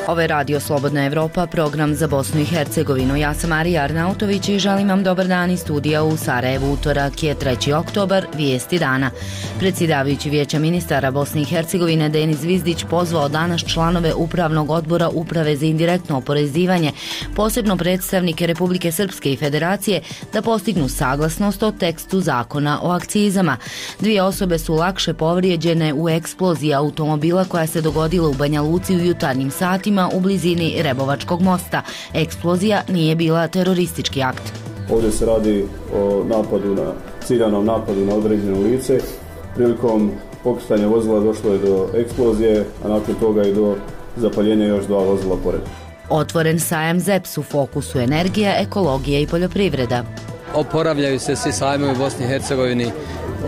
Ovo je Radio Slobodna Evropa, program za Bosnu i Hercegovinu. Ja sam Marija Arnautović i želim vam dobar dan iz studija u Sarajevu. Utorak je 3. oktobar, vijesti dana. Predsjedavajući Vijeća ministara Bosne i Hercegovine Denis Zvizdić pozvao danas članove Upravnog odbora Uprave za indirektno oporezivanje, posebno predstavnike Republike Srpske i Federacije, da postignu saglasnost o tekstu zakona o akcizama. 2 osobe su lakše povrijeđene u eksploziji automobila koja se dogodila u Banja Luci u jutarnjim satima u blizini Rebovačkog mosta. Eksplozija nije bila teroristički akt. Ovdje se radi o ciljanom napadu na određeno lice. Prilikom pokretanja vozila došlo je do eksplozije, a nakon toga i do zapaljenja još 2 vozila pored. Otvoren sajam ZEPS, u fokusu energija, ekologija i poljoprivreda. Oporavljaju se svi sajmovi u Bosni i Hercegovini,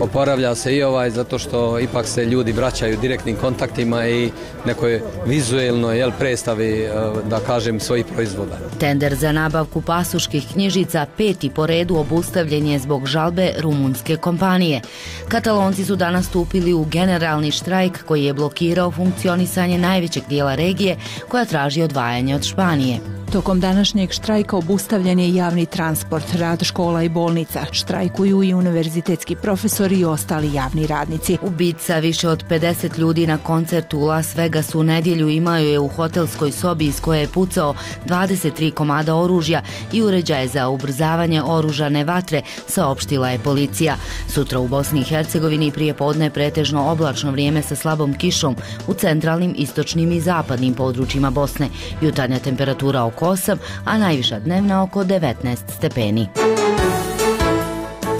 oporavlja se i ovaj zato što ipak se ljudi vraćaju direktnim kontaktima i nekoj vizuelnoj predstavi, da kažem, svojih proizvoda. Tender za nabavku pasoških knjižica 5. po redu obustavljen je zbog žalbe rumunske kompanije. Katalonci su danas stupili u generalni štrajk koji je blokirao funkcionisanje najvećeg dijela regije koja traži odvajanje od Španije. Tokom današnjeg štrajka obustavljen je javni transport, rad škola i bolnica. Štrajkuju i univerzitetski profesori i ostali javni radnici. Ubica više od 50 ljudi na koncertu u Las Vegasu u nedjelju imao je u hotelskoj sobi iz koje je pucao 23 komada oružja i uređaje za ubrzavanje oružane vatre, saopštila je policija. Sutra u Bosni i Hercegovini prije podne pretežno oblačno vrijeme sa slabom kišom u centralnim, istočnim i zapadnim područjima Bosne. Jutarnja temperatura oko 8, a najviša dnevna oko 19 stepeni.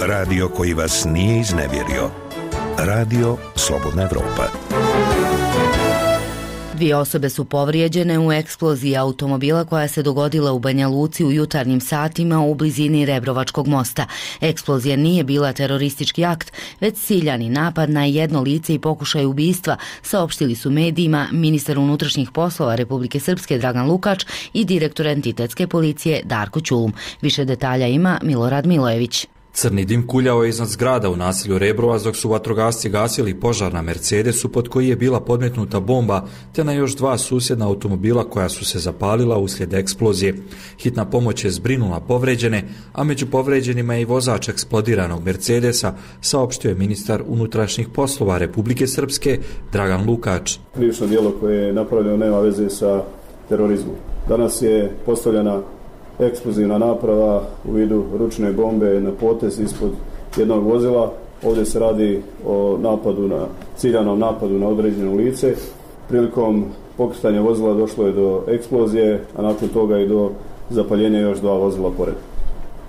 Radio koji vas nije iznevjerio. Radio Slobodna Evropa. 2 osobe su povrijeđene u eksploziji automobila koja se dogodila u Banja Luci u jutarnjim satima u blizini Rebrovačkog mosta. Eksplozija nije bila teroristički akt, već ciljani napad na jedno lice i pokušaj ubistva, saopštili su medijima ministar unutrašnjih poslova Republike Srpske Dragan Lukač i direktor entitetske policije Darko Ćulum. Više detalja ima Milorad Milojević. Crni dim kuljao je iznad zgrada u naselju Rebrovac dok su vatrogasci gasili požar na Mercedesu pod koji je bila podmetnuta bomba, te na još 2 susjedna automobila koja su se zapalila uslijed eksplozije. Hitna pomoć je zbrinula povređene, a među povređenima je i vozač eksplodiranog Mercedesa, saopštio je ministar unutrašnjih poslova Republike Srpske Dragan Lukač. Krivično djelo koje je napravljeno nema veze sa terorizmom. Danas je postavljena eksplozivna naprava u vidu ručne bombe na potez ispod jednog vozila. Ovdje se radi o ciljanom napadu na određeno lice. Prilikom pokretanja vozila došlo je do eksplozije, a nakon toga i do zapaljenja još 2 vozila pored.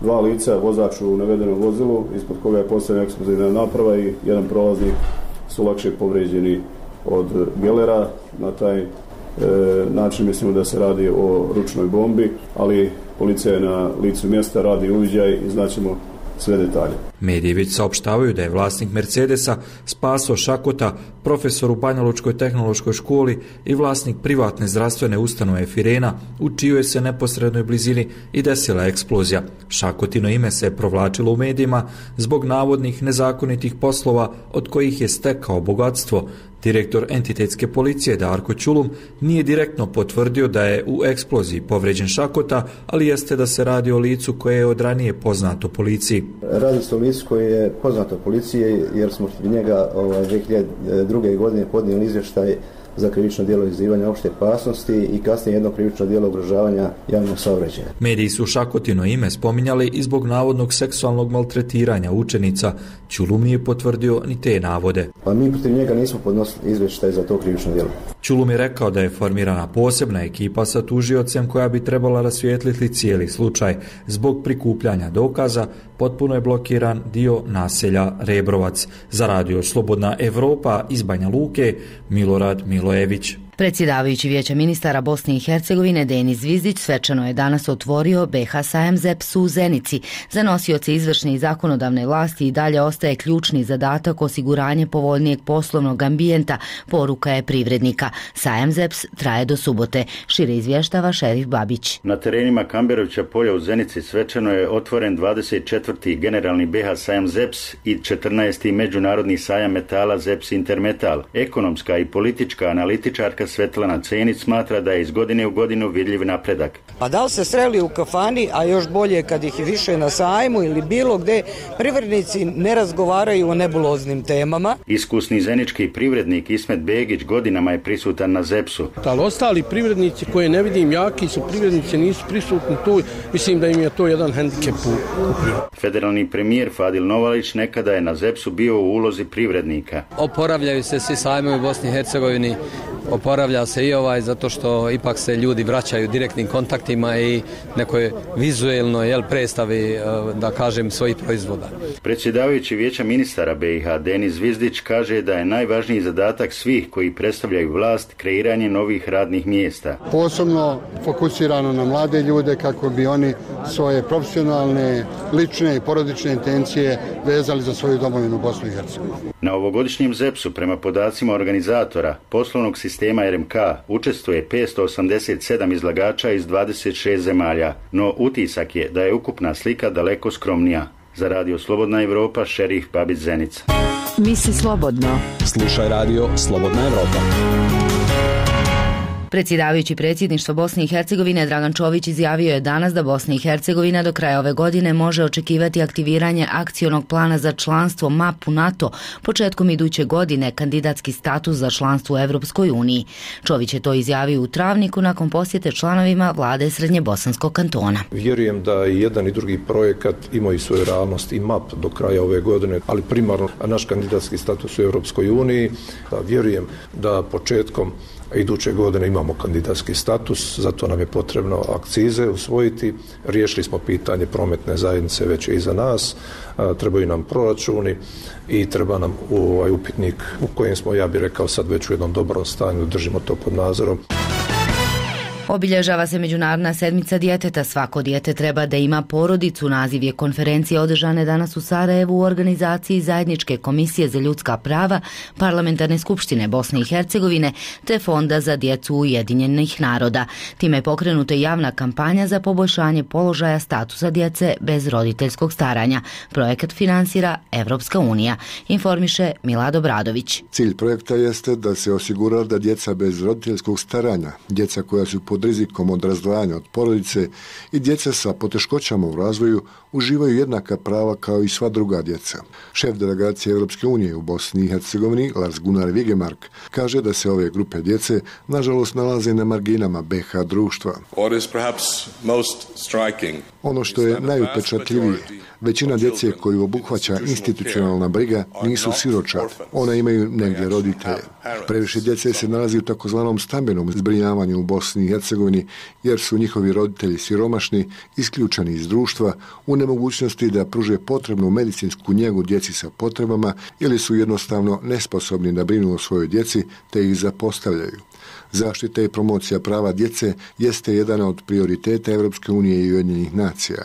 2 lica, vozač u navedenom vozilu, ispod koga je postavljena eksplozivna naprava, i jedan prolaznik su lakše povrijeđeni od gelera. Na taj način mislimo da se radi o ručnoj bombi, ali policija je na licu mjesta, radi uviđaj i znaćemo sve detalje. Mediji već saopštavaju da je vlasnik Mercedesa Spaso Šakota, profesor u Banjalučkoj tehnološkoj školi i vlasnik privatne zdravstvene ustanove Firena, u čijoj se neposrednoj blizini i desila eksplozija. Šakotino ime se je provlačilo u medijima zbog navodnih nezakonitih poslova od kojih je stekao bogatstvo. Direktor entitetske policije Darko Ćulum nije direktno potvrdio da je u eksploziji povređen Šakota, ali jeste da se radi o licu koje je od ranije poznato policiji. Radi se o licu koje je poznato policiji jer smo njega 2002. godine podnijeli izvještaj za krivično djelo izazivanja opšte opasnosti i kasnije jedno krivično djelo ugrožavanja javnog saobraćaja. Mediji su Šakotino ime spominjali i zbog navodnog seksualnog maltretiranja učenica. Ćulum nije potvrdio ni te navode. Pa mi protiv njega nismo podnosili izvještaj za to krivično djelo. Ćulum je rekao da je formirana posebna ekipa sa tužiocem koja bi trebala rasvijetliti cijeli slučaj. Zbog prikupljanja dokaza potpuno je blokiran dio naselja Rebrovac. Za Radio Slobodna Evropa iz Banja Luke, Milorad Milojević. Predsjedavajući Vijeća ministara Bosne i Hercegovine Denis Zvizdić svečano je danas otvorio BH sajam ZEPS u Zenici. Za nosioce izvršne i zakonodavne vlasti i dalje ostaje ključni zadatak osiguranje povoljnijeg poslovnog ambijenta, poruka je privrednika. Sajam ZEPS traje do subote. Šire izvještava Šerif Babić. Na terenima Kamberovića polja u Zenici svečano je otvoren 24. generalni BH sajam ZEPS i 14. međunarodni sajam metala ZEPS Intermetal. Ekonomska i politička analitičarka majka Svetlana Cenić smatra da je iz godine u godinu vidljiv napredak. Pa da li se sreli u kafani, a još bolje kad ih je više na sajmu ili bilo gde, privrednici ne razgovaraju o nebuloznim temama. Iskusni zenički privrednik Ismet Begić godinama je prisutan na ZEPS-u. Ali ostali privrednici koje ne vidim, jaki su privrednici, nisu prisutni tu, mislim da im je to jedan hendikep u prirodi. Federalni premijer Fadil Novalić nekada je na ZEPS-u bio u ulozi privrednika. Oporavljaju se svi sajmovi u Bosni i Hercegovini, oporavlja se i zato što ipak se ljudi vraćaju direktnim kontaktima i nekoj vizuelnoj predstavi, da kažem, svojih proizvoda. Predsjedavajući Vijeća ministara BiH Denis Zvizdić kaže da je najvažniji zadatak svih koji predstavljaju vlast kreiranje novih radnih mjesta. Posebno fokusirano na mlade ljude kako bi oni svoje profesionalne, lične i porodične intencije vezali za svoju domovinu Bosnu i Hercegovinu. Na ovogodišnjem ZEPS-u prema podacima organizatora poslovnog sistema RMK učestvuje 587 izlagača iz 26 zemalja, no utisak je da je ukupna slika daleko skromnija. Za Radio Slobodna Evropa, Šerif Babić Zenica. Misli slobodno. Slušaj Radio Slobodna Evropa. Predsjedavajući predsjedništvo Bosne i Hercegovine Dragan Čović izjavio je danas da Bosna i Hercegovina do kraja ove godine može očekivati aktiviranje akcionog plana za članstvo MAP u NATO, početkom iduće godine kandidatski status za članstvo u Evropskoj uniji. Čović je to izjavio u Travniku nakon posjete članovima vlade Srednjebosanskog kantona. Vjerujem da i jedan i drugi projekat imaju svoju realnost i MAP do kraja ove godine, ali primarno naš kandidatski status u Evropskoj uniji. Vjerujem da početkom iduće godine imamo kandidatski status, zato nam je potrebno akcize usvojiti. Riješili smo pitanje prometne zajednice, već je iza nas. Trebaju nam proračuni i treba nam upitnik u kojem smo, ja bih rekao, sad već u jednom dobrom stanju, držimo to pod nadzorom. Obilježava se Međunarodna sedmica djeteta. Svako dijete treba da ima porodicu. Naziv je konferencije održane danas u Sarajevu u organizaciji Zajedničke komisije za ljudska prava, Parlamentarne skupštine Bosne i Hercegovine te Fonda za djecu Ujedinjenih naroda. Time je pokrenuta javna kampanja za poboljšanje položaja statusa djece bez roditeljskog staranja. Projekat finansira Evropska unija, informiše Milad Obradović. Cilj projekta jeste da se osigura da djeca bez roditeljskog staranja, djeca koja su pod rizikom od razdvajanja od porodice i djeca sa poteškoćama u razvoju uživaju jednaka prava kao i sva druga djeca. Šef delegacije Europske unije u Bosni i Hercegovini, Lars Gunnar Vigemark, kaže da se ove grupe djece nažalost nalaze na marginama BiH društva. Ono što je najupečatljivije, većina djece koju obuhvaća institucionalna briga nisu siročad, ona imaju negdje roditelje. Previše djece se nalazi u takozvanom stambenom zbrinjavanju u Bosni i Hercegovini jer su njihovi roditelji siromašni, isključeni iz društva, u nemogućnosti da pruže potrebnu medicinsku njegu djeci sa potrebama ili su jednostavno nesposobni da brinu o svojoj djeci te ih zapostavljaju. Zaštita i promocija prava djece jeste jedan od prioriteta Evropske unije i Ujedinjenih nacija.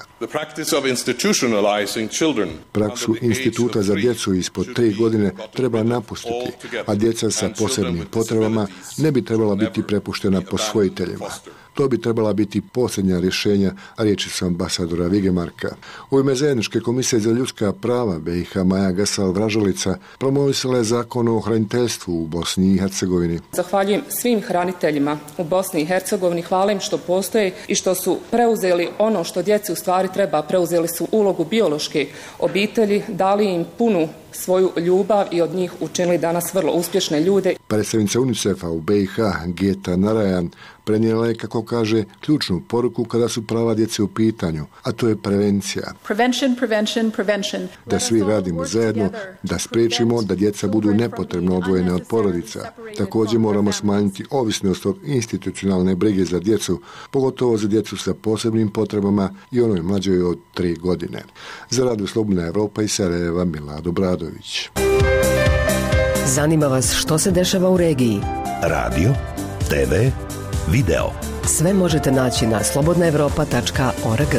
Praksu instituta za djecu ispod 3 godine treba napustiti, a djeca sa posebnim potrebama ne bi trebala biti prepuštena posvojiteljima. To bi trebala biti posljednja rješenja, riječi su ambasadora Vigemarka. U ime Zajedničke komisije za ljudska prava BiH Maja Gasal-Vražalica promovisala je zakon o hraniteljstvu u Bosni i Hercegovini. Zahvaljujem svim hraniteljima u Bosni i Hercegovini, hvala im što postoje i što su preuzeli ono što djeci u stvari treba. Preuzeli su ulogu biološke obitelji, dali im punu svoju ljubav i od njih učinili danas vrlo uspješne ljude. Predstavnica UNICEF-a u BiH, Geta Narayan, prenijela je, kako kaže, ključnu poruku kada su prava djece u pitanju, a to je prevencija. Prevention. Da svi radimo zajedno, da spriječimo da djeca budu nepotrebno odvojene od porodica. Također moramo smanjiti ovisnost od institucionalne brige za djecu, pogotovo za djecu sa posebnim potrebama i onoj mlađoj od 3 godine. Za Radio Slobodna Evropa iz Sarajeva, Milad Obradović. Zanima vas što se dešava u regiji? Radio, TV, video. Sve možete naći na slobodnaevropa.org.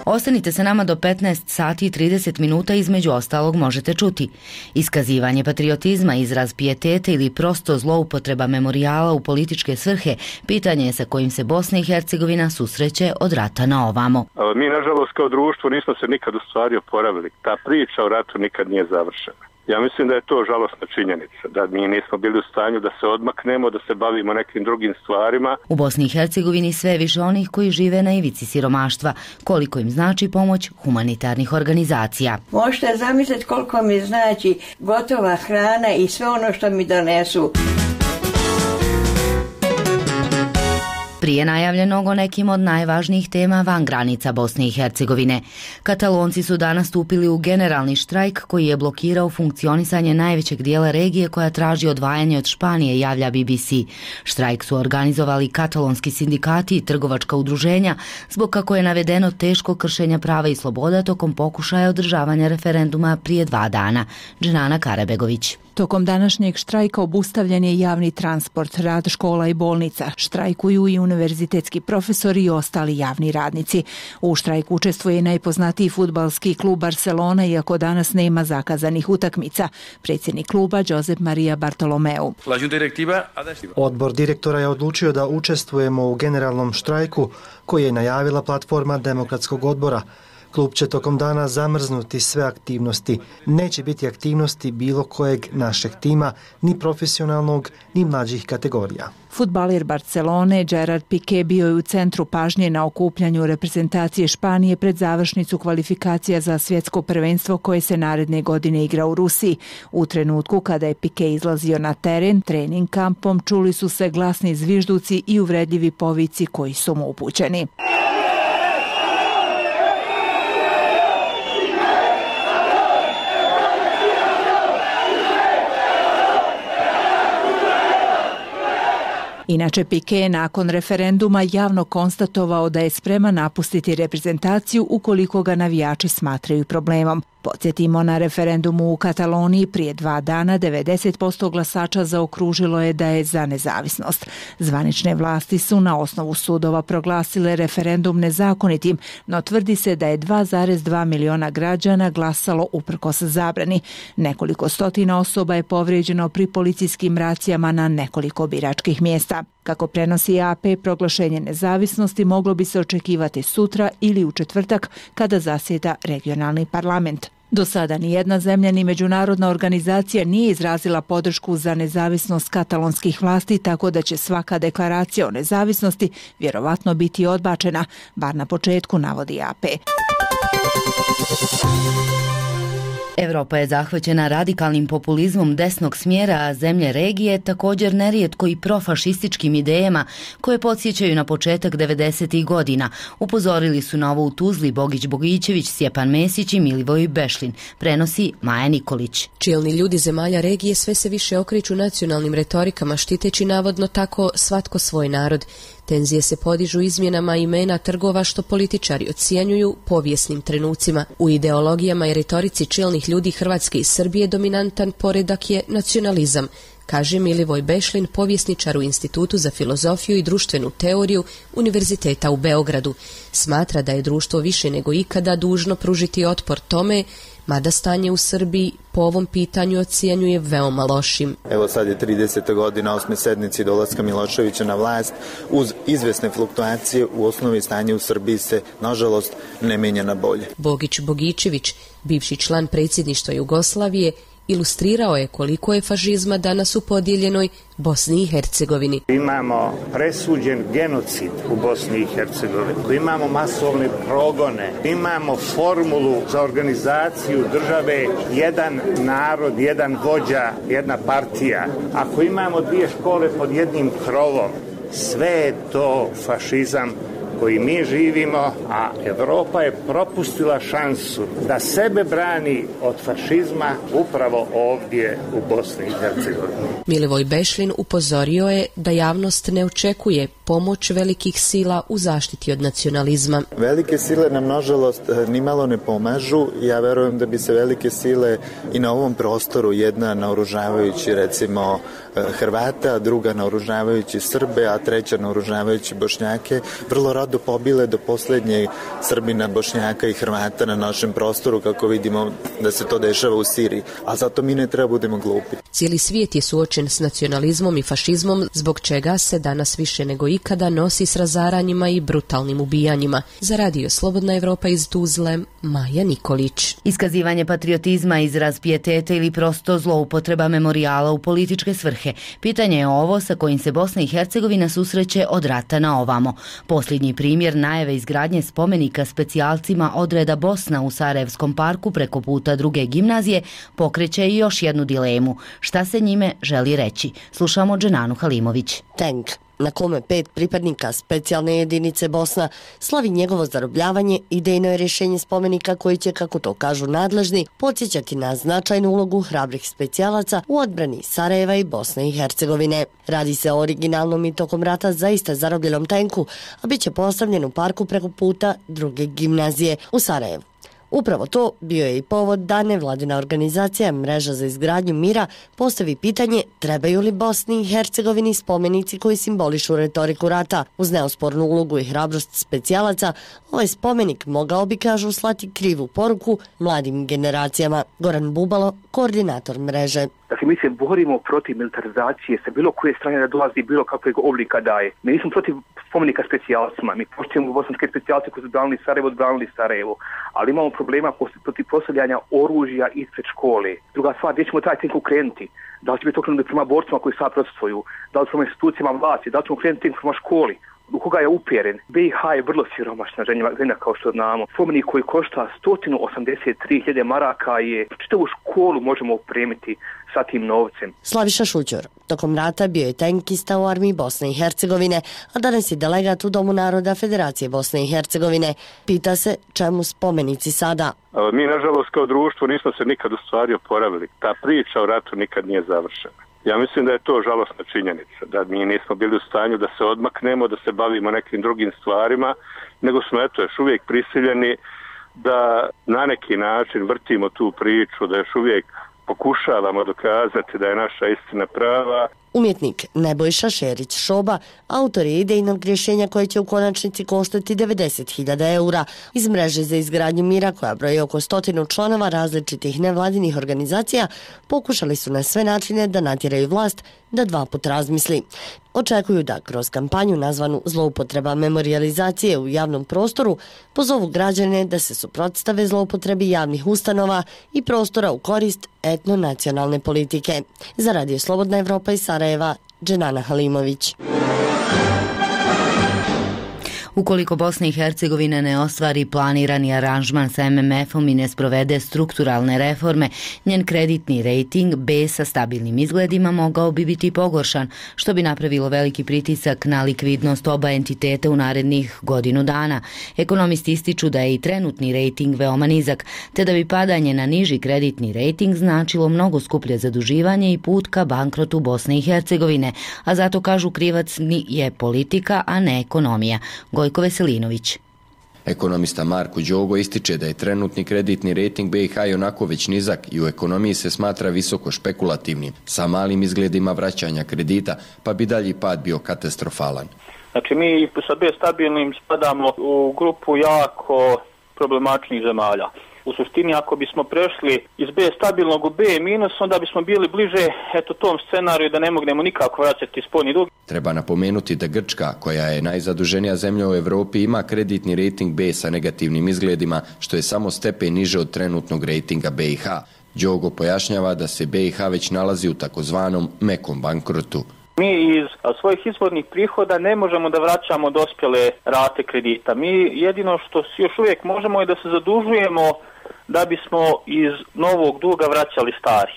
Ostanite sa nama do 15 sati i 30 minuta, između ostalog možete čuti iskazivanje patriotizma, izraz pijeteta ili prosto zloupotreba memorijala u političke svrhe, pitanje je sa kojim se Bosna i Hercegovina susreće od rata na ovamo. Mi, nažalost, kao društvo nismo se nikad u stvari oporavili. Ta priča o ratu nikad nije završena. Ja mislim da je to žalosna činjenica, da mi nismo bili u stanju da se odmaknemo, da se bavimo nekim drugim stvarima. U Bosni i Hercegovini sve više onih koji žive na ivici siromaštva, koliko im znači pomoć humanitarnih organizacija. Možete zamisliti koliko mi znači gotova hrana i sve ono što mi donesu. Prije najavljenog o nekim od najvažnijih tema van granica Bosne i Hercegovine. Katalonci su danas stupili u generalni štrajk koji je blokirao funkcionisanje najvećeg dijela regije koja traži odvajanje od Španije, javlja BBC. Štrajk su organizovali katalonski sindikati i trgovačka udruženja zbog, kako je navedeno, teško kršenja prava i sloboda tokom pokušaja održavanja referenduma prije 2 dana. Dženana Karabegović. Tokom današnjeg štrajka obustavljen je javni transport, rad škola i bolnica. Štrajkuju i univerzitetski profesori i ostali javni radnici. U štrajku učestvuje i najpoznatiji fudbalski klub Barcelona, iako danas nema zakazanih utakmica. Predsjednik kluba Josep Maria Bartolomeu. Odbor direktora je odlučio da učestvujemo u generalnom štrajku koji je najavila platforma Demokratskog odbora. Klub će tokom dana zamrznuti sve aktivnosti. Neće biti aktivnosti bilo kojeg našeg tima, ni profesionalnog, ni mlađih kategorija. Fudbaler Barcelone Gerard Piqué bio je u centru pažnje na okupljanju reprezentacije Španije pred završnicu kvalifikacija za svjetsko prvenstvo koje se naredne godine igra u Rusiji. U trenutku kada je Piqué izlazio na teren trening kampom, čuli su se glasni zvižduci i uvredljivi povici koji su mu upućeni. Inače, Piqué je nakon referenduma javno konstatovao da je spreman napustiti reprezentaciju ukoliko ga navijači smatraju problemom. Podsjetimo, na referendumu u Kataloniji prije 2 dana 90% glasača zaokružilo je da je za nezavisnost. Zvanične vlasti su na osnovu sudova proglasile referendum nezakonitim, no tvrdi se da je 2,2 miliona građana glasalo uprkos zabrani. Nekoliko stotina osoba je povrijeđeno pri policijskim racijama na nekoliko biračkih mjesta. Kako prenosi AP, proglašenje nezavisnosti moglo bi se očekivati sutra ili u četvrtak kada zasjeda regionalni parlament. Do sada nijedna zemlja ni međunarodna organizacija nije izrazila podršku za nezavisnost katalonskih vlasti, tako da će svaka deklaracija o nezavisnosti vjerovatno biti odbačena, bar na početku, navodi AP. Evropa je zahvaćena radikalnim populizmom desnog smjera, a zemlje regije također nerijetko i profašističkim idejama koje podsjećaju na početak 90. godina. Upozorili su na ovo u Tuzli Bogić Bogićević, Stjepan Mesić i Milivoj Bešlin. Prenosi Maja Nikolić. Čelni ljudi zemalja regije sve se više okreću nacionalnim retorikama, štiteći navodno tako svatko svoj narod. Tenzije se podižu izmjenama imena trgova što političari ocjenjuju povijesnim trenucima. U ideologijama i retorici čelnih ljudi Hrvatske i Srbije dominantan poredak je nacionalizam, kaže Milivoj Bešlin, povjesničar u Institutu za filozofiju i društvenu teoriju Univerziteta u Beogradu. Smatra da je društvo više nego ikada dužno pružiti otpor tome, mada stanje u Srbiji po ovom pitanju ocjenjuje veoma lošim. Evo sad je 30. godina 8. sednici dolaska Miloševića na vlast. Uz izvesne fluktuacije u osnovi stanje u Srbiji se, nažalost, ne menja na bolje. Bogić Bogićević, bivši član predsjedništva Jugoslavije, ilustrirao je koliko je fašizma danas u podijeljenoj Bosni i Hercegovini. Imamo presuđen genocid u Bosni i Hercegovini, imamo masovne progone, imamo formulu za organizaciju države, jedan narod, jedan vođa, jedna partija. Ako imamo 2 škole pod jednim krovom, sve je to fašizam koji mi živimo, a Evropa je propustila šansu da sebe brani od fašizma upravo ovdje u Bosni i Hercegovini. Milivoj Bešlin upozorio je da javnost ne očekuje pomoć velikih sila u zaštiti od nacionalizma. Velike sile nam, nažalost, nimalo ne pomažu. Ja verujem da bi se velike sile i na ovom prostoru, jedna naoružavajući, recimo, Hrvate, a druga naoružavajući Srbe, a treća naoružavajući Bošnjake, vrlo rado pobile do posljednjeg Srbina, Bošnjaka i Hrvata na našem prostoru, kako vidimo da se to dešava u Siriji. A zato mi ne treba budemo glupi. Cijeli svijet je suočen s nacionalizmom i fašizmom, zbog čega se danas više nego ikada nosi s razaranjima i brutalnim ubijanjima. Za Radio Slobodna Evropa iz Tuzle, Maja Nikolić. Iskazivanje patriotizma, izraz pijeteta ili prosto zloupotreba memorijala u političke svrhe. Pitanje je ovo sa kojim se Bosna i Hercegovina susreće od rata na ovamo. Posljednji primjer najave izgradnje spomenika specijalcima odreda Bosna u Sarajevskom parku preko puta druge gimnazije pokreće i još jednu dilemu. Šta se njime želi reći? Slušamo Dženanu Halimović. Tank na kome 5 pripadnika specijalne jedinice Bosna slavi njegovo zarobljavanje, idejno je rješenje spomenika koji će, kako to kažu nadležni, podsjećati na značajnu ulogu hrabrih specijalaca u odbrani Sarajeva i Bosne i Hercegovine. Radi se o originalnom i tokom rata zaista zarobljenom tenku, a bit će postavljen u parku preko puta druge gimnazije u Sarajevu. Upravo to bio je i povod da nevladina organizacija Mreža za izgradnju mira postavi pitanje trebaju li Bosni i Hercegovini spomenici koji simbolišu retoriku rata. Uz neospornu ulogu i hrabrost specijalaca, ovaj spomenik mogao bi, kažu, slati krivu poruku mladim generacijama. Goran Bubalo, koordinator mreže. Dakle, mi se borimo protiv militarizacije sa bilo koje strane da dolazi bilo kakvog oblika daje. Mi nismo protiv spomenika specijalcima, mi poštujemo bosanske specijalce koji su odbranili Sarajevo, ali imamo problema protiv postavljanja oružja ispred škole. Druga stvar, gdje ćemo taj tenk ukrenuti? Da li će biti okrenuti prema borcima koji sad protestvuju? Da li prema institucijama vlasti? Da li ćemo ukrenuti tenk prema školi? U koga je upjeren? BiH je vrlo siromašna zemlja, kao što znamo. Spomenik koji košta 183.000 maraka je čitavu školu možemo opremiti sa tim novcem. Slaviša Šućor, tokom rata bio je tenkista u armiji Bosne i Hercegovine, a danas je delegat u Domu naroda Federacije Bosne i Hercegovine. Pita se čemu spomenici sada. Mi, nažalost, kao društvo nismo se nikad u stvari oporavili. Ta priča o ratu nikad nije završena. Ja mislim da je to žalosna činjenica, da mi nismo bili u stanju da se odmaknemo, da se bavimo nekim drugim stvarima, nego smo još uvijek prisiljeni da na neki način vrtimo tu priču, da još uvijek pokušavamo dokazati da je naša istina prava. Umjetnik Nebojša Šerić Šoba autor je idejnog rješenja koje će u konačnici koštati 90.000 eura. Iz Mreže za izgradnju mira, koja broji oko 100 članova različitih nevladinih organizacija, pokušali su na sve načine da natjeraju vlast da 2 puta razmisli. Očekuju da kroz kampanju nazvanu zloupotreba memorijalizacije u javnom prostoru pozovu građane da se suprotstave zloupotrebi javnih ustanova i prostora u korist etnonacionalne politike. Za Radio Slobodna Evropa iz Sarajeva, Dženana Halimović. Ukoliko Bosna i Hercegovina ne ostvari planirani aranžman sa MMF-om i ne sprovede strukturalne reforme, njen kreditni rejting B sa stabilnim izgledima mogao bi biti pogoršan, što bi napravilo veliki pritisak na likvidnost oba entiteta u narednih godinu dana. Ekonomisti ističu da je i trenutni rejting veoma nizak, te da bi padanje na niži kreditni rejting značilo mnogo skuplje zaduživanje i put ka bankrotu Bosne i Hercegovine, a zato kažu krivac je politika, a ne ekonomija. Gojko Veselinović. Ekonomista Marko Đogo ističe da je trenutni kreditni rejting BiH onako već nizak i u ekonomiji se smatra visoko špekulativnim, sa malim izgledima vraćanja kredita, pa bi dalji pad bio katastrofalan. Znači mi sa B stabilnim spadamo u grupu jako problematičnih zemalja. U suštini, ako bismo prešli iz B stabilnog u B minus, onda bismo bili bliže tom scenariju da ne mognemo nikako vraćati spoljni dug. Treba napomenuti da Grčka, koja je najzaduženija zemlja u Evropi, ima kreditni rejting B sa negativnim izgledima, što je samo stepen niže od trenutnog rejtinga BiH. Đogo pojašnjava da se BiH već nalazi u takozvanom mekom bankrotu. Mi iz svojih izvornih prihoda ne možemo da vraćamo dospjele rate kredita. Mi jedino što još uvijek možemo je da se zadužujemo da bismo iz novog duga vraćali stari.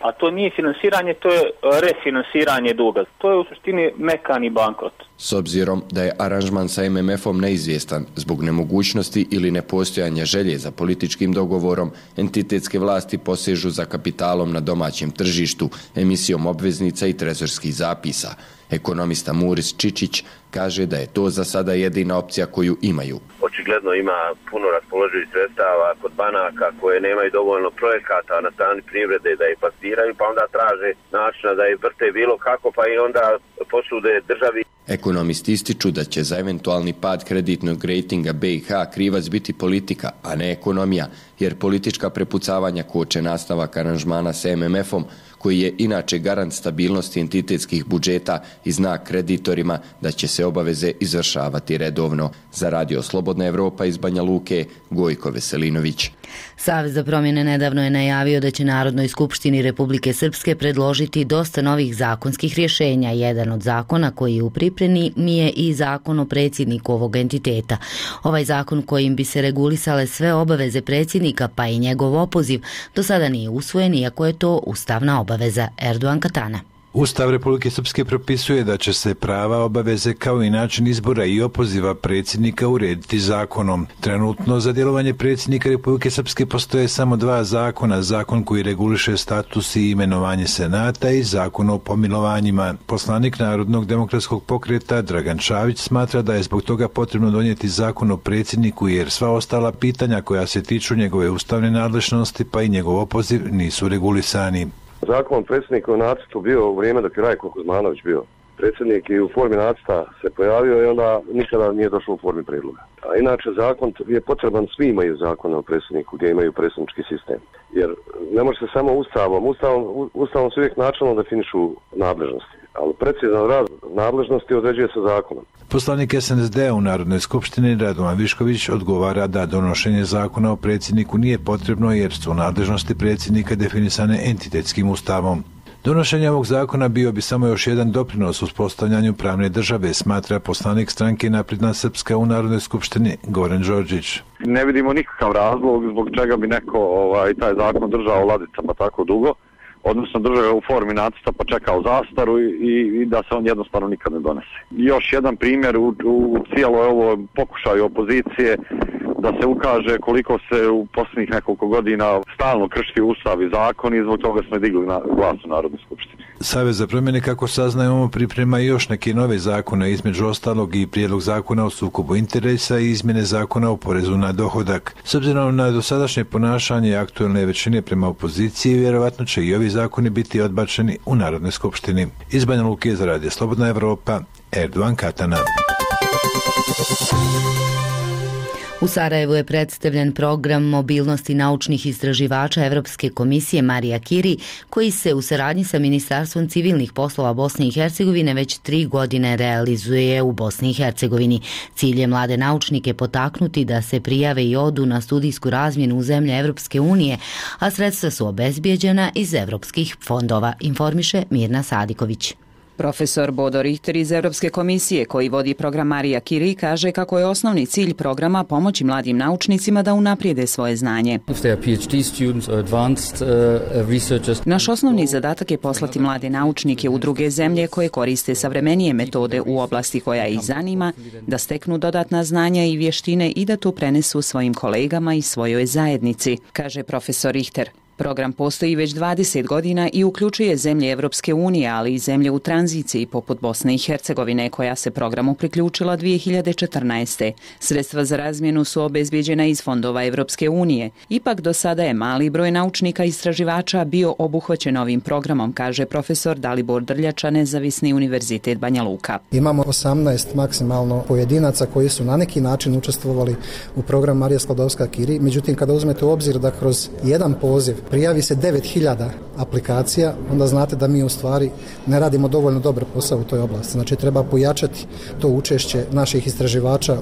A to nije finansiranje, to je refinansiranje duga. To je u suštini mekani bankrot. S obzirom da je aranžman sa MMF-om neizvjestan zbog nemogućnosti ili nepostojanja želje za političkim dogovorom, entitetske vlasti posežu za kapitalom na domaćem tržištu, emisijom obveznica i trezorskih zapisa. Ekonomista Muris Čičić kaže da je to za sada jedina opcija koju imaju. očigledno ima puno raspoloživih sredstava kod banaka koje nemaju dovoljno projekata na strani privrede da ih plasiraju, pa onda traže načina da ih vrte bilo kako, pa i onda posude državi. Ekonomisti ističu da će za eventualni pad kreditnog rejtinga BiH krivac biti politika, a ne ekonomija, jer politička prepucavanja koče nastavak aranžmana s MMF-om, koji je inače garant stabilnosti entitetskih budžeta i znak kreditorima da će se obaveze izvršavati redovno. Za Radio Slobodna Evropa iz Banja Luke, Gojko Veselinović. Savez za promjene nedavno je najavio da će Narodnoj skupštini Republike Srpske predložiti dosta novih zakonskih rješenja. Jedan od zakona koji je u pripremi je i zakon o predsjedniku ovog entiteta. Ovaj zakon kojim bi se regulisale sve obaveze predsjednika pa i njegov opoziv do sada nije usvojen, iako je to ustavna obaveza. Erdogan Katana. Ustav Republike Srpske propisuje da će se prava, obaveze kao i način izbora i opoziva predsjednika urediti zakonom. Trenutno za djelovanje predsjednika Republike Srpske postoje samo dva zakona, zakon koji reguliše status i imenovanje senata i zakon o pomilovanjima. Poslanik Narodnog demokratskog pokreta Dragan Čavić smatra da je zbog toga potrebno donijeti zakon o predsjedniku jer sva ostala pitanja koja se tiču njegove ustavne nadležnosti pa i njegov opoziv nisu regulisani. Zakon predsjednika u nacrtu bio u vrijeme dok je Rajko Kuzmanović bio predsjednik i u formi nacrta se pojavio i onda nikada nije došlo u formi prijedloga. A inače zakon je potreban, svi imaju zakon o predsjedniku gdje imaju predsjednički sistem. Jer ne može se samo Ustavom se uvijek načelno definišu nadležnosti, ali precizan rad nadležnosti određuje se zakonom. Poslanik SNSD u Narodnoj skupštini Radovan Višković odgovara da donošenje zakona o predsjedniku nije potrebno jer su nadležnosti predsjednika definisane entitetskim ustavom. Donošenje ovog zakona bio bi samo još jedan doprinos uspostavljanju pravne države, smatra poslanik stranke Napredna Srpska u Narodnoj skupštini Goran Đorđić. Ne vidimo nikakav razlog zbog čega bi neko taj zakon držao u ladicama tako dugo, odnosno držao ga u formi nacrta pa čekao zastaru i da se on jednostavno nikad ne donese. Još jedan primjer u cijeloj ovoj pokušaju opozicije da se ukaže koliko se u posljednjih nekoliko godina stalno krši ustav i zakon i zbog toga smo digli glas u Narodnoj skupštini. Savez za promjene, kako saznajemo, priprema još neke nove zakone, između ostalog i prijedlog zakona o sukobu interesa i izmjene zakona o porezu na dohodak. S obzirom na dosadašnje ponašanje aktualne većine prema opoziciji, vjerovatno će i ovi zakoni biti odbačeni u Narodnoj skupštini. Iz Banja Luke za Radio Slobodna Evropa, Erdogan Katana. U Sarajevu je predstavljen program mobilnosti naučnih istraživača Evropske komisije Marija Kiri, koji se u saradnji sa Ministarstvom civilnih poslova Bosne i Hercegovine već 3 godine realizuje u Bosni i Hercegovini. Cilj je mlade naučnike potaknuti da se prijave i odu na studijsku razmjenu u zemlje Evropske unije, a sredstva su obezbijeđena iz evropskih fondova, informiše Mirna Sadiković. Profesor Bodo Richter iz Evropske komisije, koji vodi program Marija Kiri, kaže kako je osnovni cilj programa pomoći mladim naučnicima da unaprijede svoje znanje. Naš osnovni zadatak je poslati mlade naučnike u druge zemlje koje koriste savremenije metode u oblasti koja ih zanima, da steknu dodatna znanja i vještine i da to prenesu svojim kolegama i svojoj zajednici, kaže profesor Richter. Program postoji već 20 godina i uključuje zemlje Evropske unije, ali i zemlje u tranziciji poput Bosne i Hercegovine, koja se programu priključila 2014. Sredstva za razmjenu su obezbijeđena iz fondova Evropske unije. Ipak do sada je mali broj naučnika i istraživača bio obuhvaćen ovim programom, kaže profesor Dalibor Drljača, Nezavisni univerzitet Banja Luka. Imamo 18 maksimalno pojedinaca koji su na neki način učestvovali u program Marija Sklodowska-Curie. Međutim, kada uzmete u obzir da kroz jedan poziv prijavi se 9000 aplikacija, onda znate da mi u stvari ne radimo dovoljno dobar posao u toj oblasti. Znači treba pojačati to učešće naših istraživača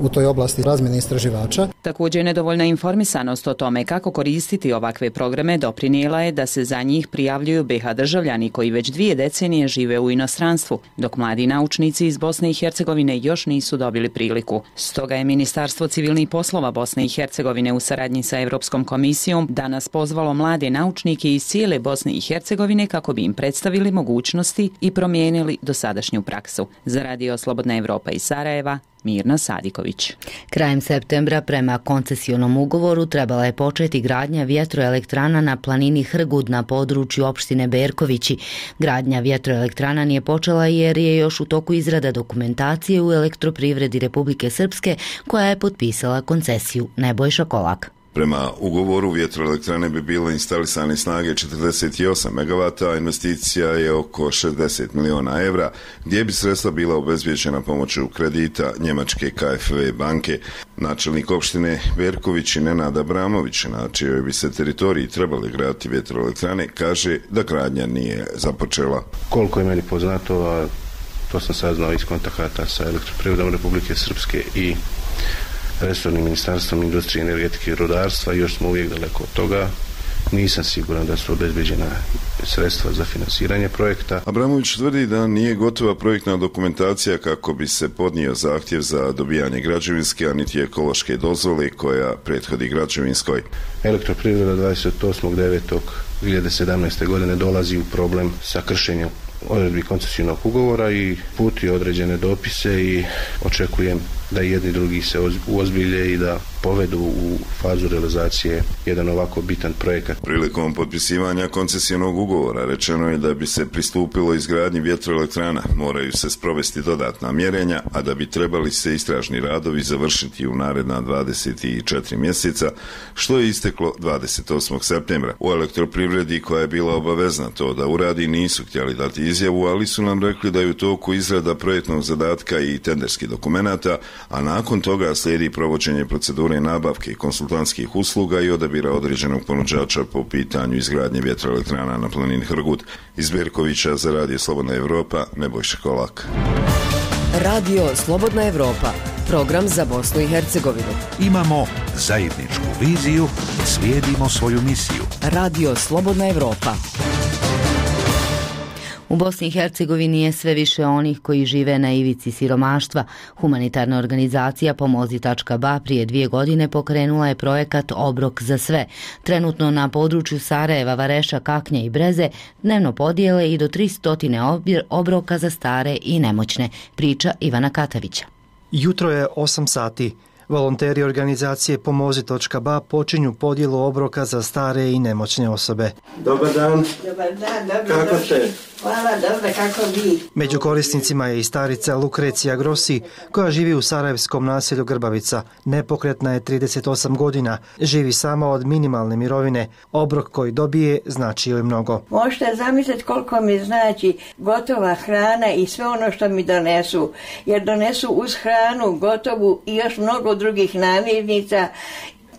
u toj oblasti razmjene istraživača. Također nedovoljna informisanost o tome kako koristiti ovakve programe doprinijela je da se za njih prijavljuju BiH državljani koji već 2 decenije žive u inostranstvu, dok mladi naučnici iz Bosne i Hercegovine još nisu dobili priliku. Stoga je Ministarstvo civilnih poslova Bosne i Hercegovine u saradnji sa Evropskom komisijom danas pozvalo mlade naučnike iz cijele Bosne i Hercegovine kako bi im predstavili mogućnosti i promijenili dosadašnju praksu. Za Radio Slobodna Evropa iz Sarajeva, Mirna Sadiković. Krajem septembra prema koncesionom ugovoru trebala je početi gradnja vjetroelektrana na planini Hrgud na području opštine Berkovići. Gradnja vjetroelektrana nije počela jer je još u toku izrada dokumentacije u Elektroprivredi Republike Srpske koja je potpisala koncesiju. Nebojša Kolak. Prema ugovoru vjetroelektrane bi bile instalisane snage 48 MW, a investicija je oko 60 miliona evra, gdje bi sredstva bila obezbijeđena pomoću kredita njemačke KfW banke. Načelnik opštine Berković i Nenad Abramović, na čijoj bi se teritoriji trebali graditi vjetroelektrane, kaže da gradnja nije započela. Koliko je meni poznato, to sam saznao iz kontakata sa Elektroprivredom Republike Srpske i resornim ministarstvom industrije, energetike i rudarstva, još smo uvijek daleko od toga. Nisam siguran da su obezbeđena sredstva za finansiranje projekta. Abramović tvrdi da nije gotova projektna dokumentacija kako bi se podnio zahtjev za dobijanje građevinske, a niti ekološke dozvole koja prethodi građevinskoj. Elektroprivreda 28.9.2017. godine dolazi u problem sa kršenjem odredbi koncesijnog ugovora i puti određene dopise i očekujem da jedni drugi se uozbilje i da povedu u fazu realizacije jedan ovako bitan projekat. Prilikom potpisivanja koncesijnog ugovora rečeno je da bi se pristupilo izgradnji vjetroelektrana, moraju se sprovesti dodatna mjerenja, a da bi trebali se istražni radovi završiti u naredna 24 mjeseca, što je isteklo 28. septembra. U Elektroprivredi, koja je bila obavezna to da uradi, nisu htjeli dati izjavu, ali su nam rekli da je u toku izrada projektnog zadatka i tenderskih dokumenata, a nakon toga slijedi provođenje procedure nabavke i konsultantskih usluga i odabira određenog ponuđača po pitanju izgradnje vjetroelektrana na planini Hrgud. Iz Berkovića za Radio Slobodna Evropa, Nebojša Kolak. Radio Slobodna Evropa, program za Bosnu i Hercegovinu. Imamo zajedničku viziju, slijedimo svoju misiju. Radio Slobodna Evropa. U Bosni i Hercegovini je sve više onih koji žive na ivici siromaštva. Humanitarna organizacija Pomozi.ba prije 2 godine pokrenula je projekat Obrok za sve. Trenutno na području Sarajeva, Vareša, Kaknja i Breze dnevno podijele i do 300 obroka za stare i nemoćne, priča Ivana Katavića. Jutro je 8 sati. Volonteri organizacije Pomozi.ba počinju podjelu obroka za stare i nemoćne osobe. Dobar dan. Dobar dan, dobro. Kako ste? Hvala, dobro, kako vi? Među korisnicima je i starica Lukrecija Grossi, koja živi u sarajevskom naselju Grbavica. Nepokretna je 38 godina, živi sama od minimalne mirovine. Obrok koji dobije znači joj mnogo. Možete zamisliti koliko mi znači gotova hrana i sve ono što mi donesu. Jer donesu uz hranu gotovu i još mnogo drugih namirnica,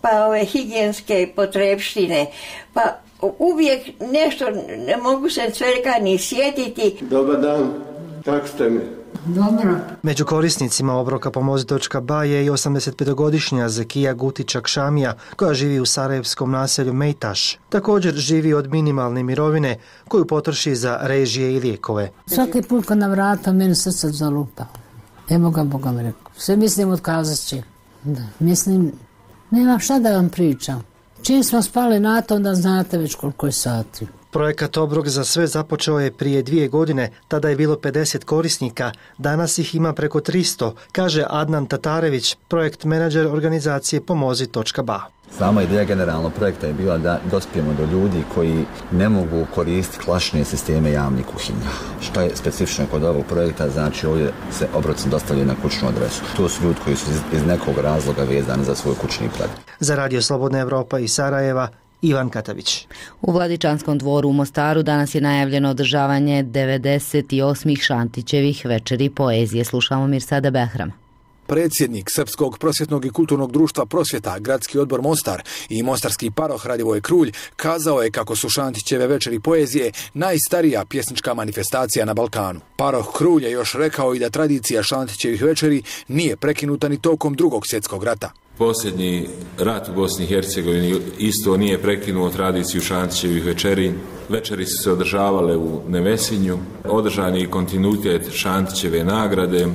pa ove higijenske potrebštine, pa uvijek nešto, ne mogu se svega ni sjetiti. Dobar dan, kako ste mi? Dobro. Među korisnicima obroka Pomozi.ba je i 85-godišnja Zekija Gutičak Šamija, koja živi u sarajevskom naselju Mejtaš. Također živi od minimalne mirovine koju potroši za režije i lijekove. Svaki put kad na vrata meni srce zalupa. Evo ga Boga mi rekao. Sve mislim otkazat će. Da, mislim, nemam šta da vam pričam. Čim smo spali na to, onda znate već koliko je sati. Projekat Obrok za sve započeo je prije 2 godine, tada je bilo 50 korisnika, danas ih ima preko 300, kaže Adnan Tatarević, projekt menadžer organizacije Pomozi.ba. Sama ideja generalno projekta je bila da dospijemo do ljudi koji ne mogu koristiti klasične sisteme javnih kuhinja. Što je specifično kod ovog projekta, znači ovdje se obroci dostavljaju na kućnu adresu. To su ljudi koji su iz nekog razloga vezani za svoj kućni prag. Za Radio Slobodna Evropa iz Sarajeva, Ivan Katavić. U Vladičanskom dvoru u Mostaru danas je najavljeno održavanje 98. Šantićevih večeri poezije. Slušamo Mirsada Behram. Predsjednik Srpskog prosvjetnog i kulturnog društva Prosvjeta, Gradski odbor Mostar i mostarski paroh Radivoj Krulj kazao je kako su Šantićeve večeri poezije najstarija pjesnička manifestacija na Balkanu. Paroh Krulj je još rekao i da tradicija Šantićevih večeri nije prekinuta ni tokom Drugog svjetskog rata. Posljednji rat u Bosni i Hercegovini isto nije prekinuo tradiciju Šantićevih večeri. Večeri su se održavale u Nevesinju, održan je kontinuitet Šantićeve nagrade.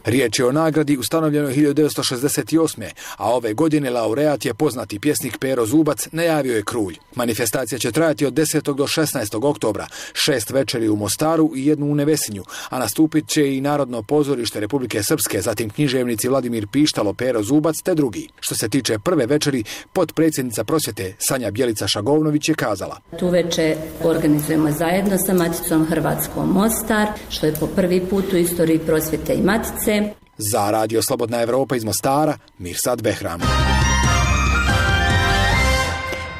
Riječ je o nagradi ustanovljenoj 1968. a ove godine laureat je poznati pjesnik Pero Zubac, najavio je Krulj. Manifestacija će trajati od 10. do 16. oktobra, 6 večeri u Mostaru i 1 u Nevesinju, a nastupit će i Narodno pozorište Republike Srpske, zatim književnici Vladimir Pištalo, Pero Zubac te drugi. Što se tiče prve večeri, potpredsjednica prosvjete Sanja Bjelica-Šagovnović je kazala: Tu večer organizujemo zajedno sa Maticom Hrvatskom Mostar, što je po prvi put u istoriji prosvjete i Matice. Za Radio Slobodna Evropa iz Mostara, Mirsad Behram.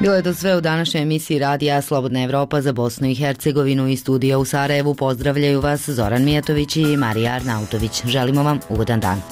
Bilo je to sve u današnjoj emisiji Radija Slobodna Evropa za Bosnu i Hercegovinu. Iz studija u Sarajevu pozdravljaju vas Zoran Mijatović i Marija Arnautović. Želimo vam ugodan dan.